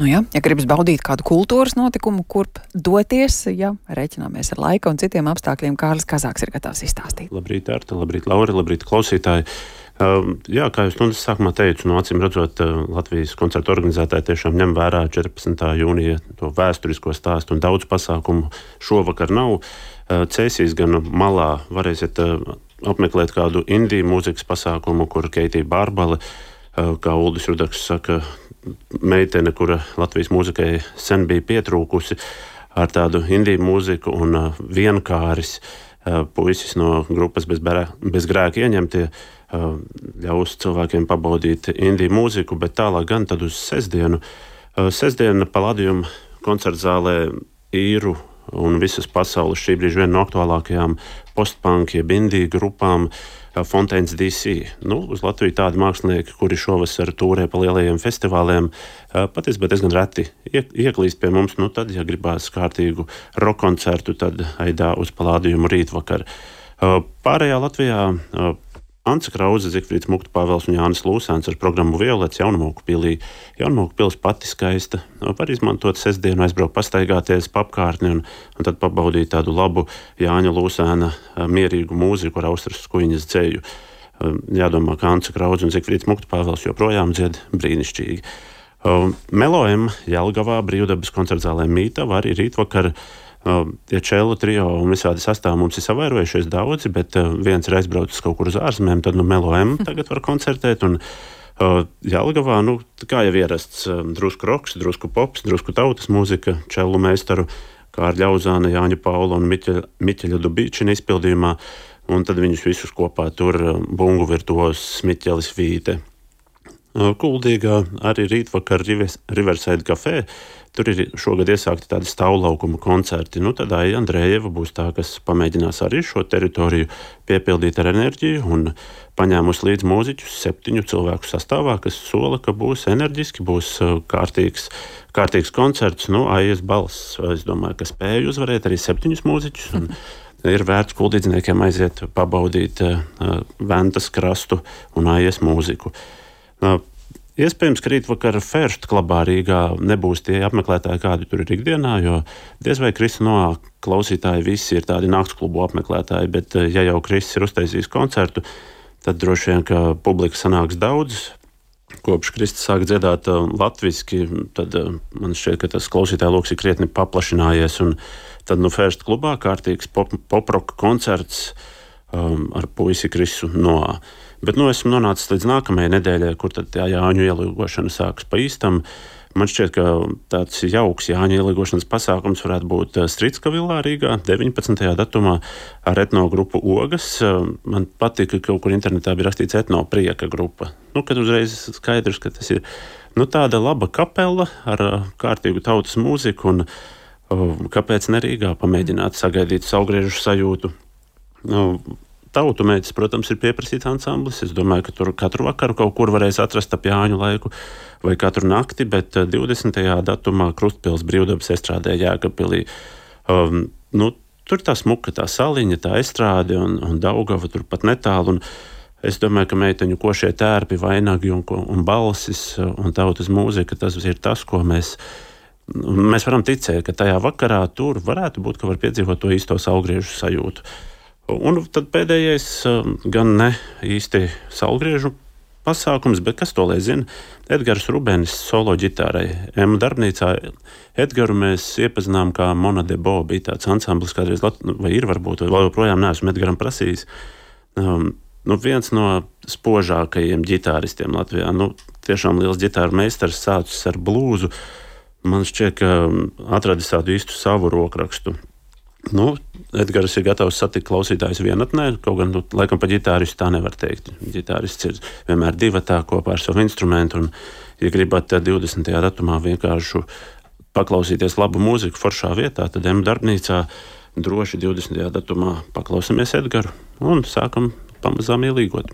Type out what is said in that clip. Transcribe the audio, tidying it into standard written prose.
Nu ja gribas baudīt kādu kultūras notikumu, kurp doties, ja reiķināmies ar laika un citiem apstākļiem, Kārlis Kazāks ir gatavs izstāstīt. Labrīt, Arta, labrīt, Laura, labrīt, klausītāji. Jā, kā jūs stundas sākumā teicu, acīm redzot, Latvijas koncertu organizētāji tiešām ņem vērā 14. jūnija to vēsturisko stāstu un daudz pasākumu šovakar nav. Cēsīs gan malā varēsiet apmeklēt kādu indiju mūzikas pasākumu, kur Keitija Bārbale, kā Uldis Rudaks saka, meitene, kura Latvijas mūzikai sen bija pietrūkusi ar tādu indiju mūziku, un vienkāris puisis no grupas bez grēka ieņemtie ļaus cilvēkiem pabaudīt indiju mūziku, bet tālāk gan tad uz sestdienu. Sestdiena Palladium koncertzālē īru un visas pasaules šī brīža viena no aktuālākajām postpunk jeb indiju grupām Fontaines DC. Uz Latviju tādi mākslinieki, kuri šovasar tūrē pa lielajiem festivāliem, patiesībā diezgan reti ieklīst pie mums. Tad, ja gribās kārtīgu rock koncertu, tad aidā uz Palladiumu rītvakar. Pārējā Latvijā Ants Krauze, Zigfrīds Mukta Pāvels un Jānis Lūsēns ar programmu Violets Jaunmoku pilī. Jaunmoku pils pati skaista. Var izmantot sestdienu, aizbraukt pastaigāties pa apkārtni un tad pabaudīt tādu labu Jāņa Lūsēna mierīgu mūziku ar Austras Skuiņas dzeju. Jādomā, ka Ants Krauze un Zigfrīds Mukta Pāvels joprojām dzied brīnišķīgi. Melo-M Jelgavā brīvdabas koncertzālē Mītava arī rītvakar. Tie čelu trio un visādi sastāvi mums ir savairojušies daudzi, bet viens ir aizbraucis kaut kur uz ārzemēm, tad Melo-M tagad var koncertēt, un Jelgavā, kā jau ierasts, drusku roks, drusku pops, drusku tautas mūzika, čelu meistaru Kārļa Ļauzāna, Jāņa Paula un Miķeļa Dubīčina izpildījumā, un tad viņus visus kopā tur bungu virtuos Miķelis Vīte. Kuldīgā arī rītvakar Riverside Café. Tur ir šogad iesākti tādi stāvlaukuma koncerti. Tad Aija Andrejeva būs tā, kas pamēģinās arī šo teritoriju piepildīt ar enerģiju un paņēmus līdz mūziķus 7 cilvēku sastāvā, kas sola, ka būs enerģiski, būs kārtīgs koncerts. Aijas balss, es domāju, ka spēja uzvarēt arī 7 mūziķus. Un ir vērts kuldīdzniekiem aiziet pabaudīt Ventas krastu un Aijas mūziku. Iespējams, ka rītvakar First klubā Rīgā nebūs tie apmeklētāji, kādi tur ir ikdienā, jo diez vai Krista Noā klausītāji visi ir tādi naktsklubu apmeklētāji, bet ja jau Kristis ir uztaisījis koncertu, tad droši vien, ka publika sanāks daudz. Kopš Kristis sāk dziedāt latviski, tad man šķiet, ka tas klausītāju loks ir krietni paplašinājies, un tad First klubā kārtīgs pop-rock koncerts ar puisi Kristu Noā. Bet esmu nonācis līdz nākamajai nedēļai, kur tad tā Jāņu ielīgošana sākas pa īstam. Man šķiet, ka tāds jauks Jāņu ielīgošanas pasākums varētu būt Stricka villā Rīgā 19. datumā ar etnogrupu Ogas. Man patīk, ka kaut kur internetā bija rakstīts etnoprieka grupa. Kad uzreiz skaidrs, ka tas ir tāda laba kapela ar kārtīgu tautas mūziku, un kāpēc ne Rīgā pamēģināt sagaidīt saulgriežu sajūtu. Tautu mēģis, protams, ir pieprasīts ansamblis. Es domāju, ka tur katru vakaru kaut kur varēs atrast ap Jāņu laiku vai katru nakti, bet 20. datumā Krustpils brīvdabas estrādē Jēkabpilī. Tur tā smuka, tā saliņa, tā estrāde un Daugava tur pat netālu. Un es domāju, ka meiteņu košie tērpi, vainagi un balsis un tautas mūzika, tas ir tas, ko mēs varam ticēt, ka tajā vakarā tur varētu būt, ka var piedzīvot to īsto saulgriežu sajūtu. Un tad pēdējais gan ne īsti saulgriežu pasākums, bet kas to lai zina? Edgars Rubenis solo ģitārai M darbnīcā. Edgaru mēs iepazinām kā Mona de Bo, bija tāds ansamblis kādreiz, vai ir varbūt, vai joprojām neesmu Edgaram prasījis. Viens no spožākajiem ģitāristiem Latvijā. Tiešām liels ģitāru meistars, sācis ar blūzu. Man šķiet, ka atradis tādu īstu savu rokrakstu. Edgars ir gatavs satikt klausītājus vienatnē, kaut gan, laikam pa ģitāristu tā nevar teikt. Ģitārists ir vienmēr divatā kopā ar savu instrumentu, un, ja gribat 20. datumā vienkārši paklausīties labu mūziku foršā vietā, tad M darbnīcā droši 20. datumā paklausamies Edgaru un sākam pamazām ielīgot.